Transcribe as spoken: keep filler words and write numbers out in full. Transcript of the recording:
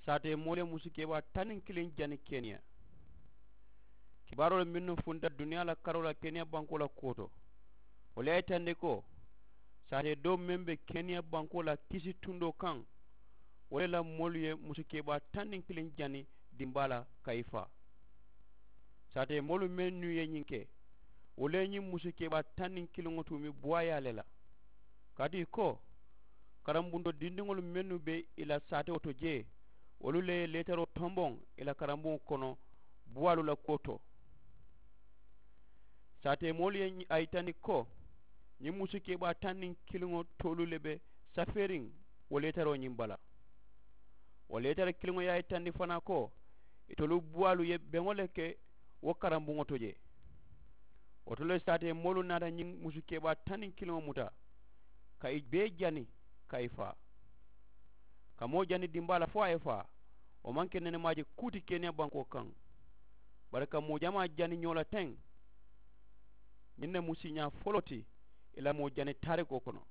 Saatee moolu ye musu keebaa taŋ niŋ kiliŋ jani keniya. Kibaaroolu mennu funta duniyaa la karoo la keniya bankoo la kuwo to, wolu ye a yitandi ko saatee doo meŋ be keniya bankoo la kisi tundoo kaŋ, wo le la moolu ye musu keebaa taŋ niŋ kiliŋ jani dimbaa la ka i faa. Saatee moolu mennu ye ñiŋ ke, wolu ye ñiŋ musu keebaa taŋ niŋ kiliŋo tuumi buwaayaa le la. Kaatu i ko, karambuntoo dindiŋolu mennu be i la saatewo to jee, wolu le ye leetaroo tomboŋ i la karambuŋo kono buwaalu la kuwo to. Saatee moolu ye a yitandi ko ñiŋ musu keebaa taŋ niŋ kiliŋo toolu le be safeeriŋ wo leetaroo ñiŋ bala. Wo leetara kiliŋo ye a yitandi fanaa ko itolu buwaalu ye beŋo le ke wo karambuŋo to jee. Wo to le saatee moolu naata ñiŋ musu keebaa taŋ niŋ kiliŋo muta ka i bee jani ka i faa. Ka moo jani dimbaa la fo a ye faa, wo maŋ ke nenemaaji kuu ti keniya bankoo kaŋ. Bari ka moo jamaa jani ñoo la teŋ, ñiŋ ne mu siiñaa foloo ti i la moo jani taarikoo kono.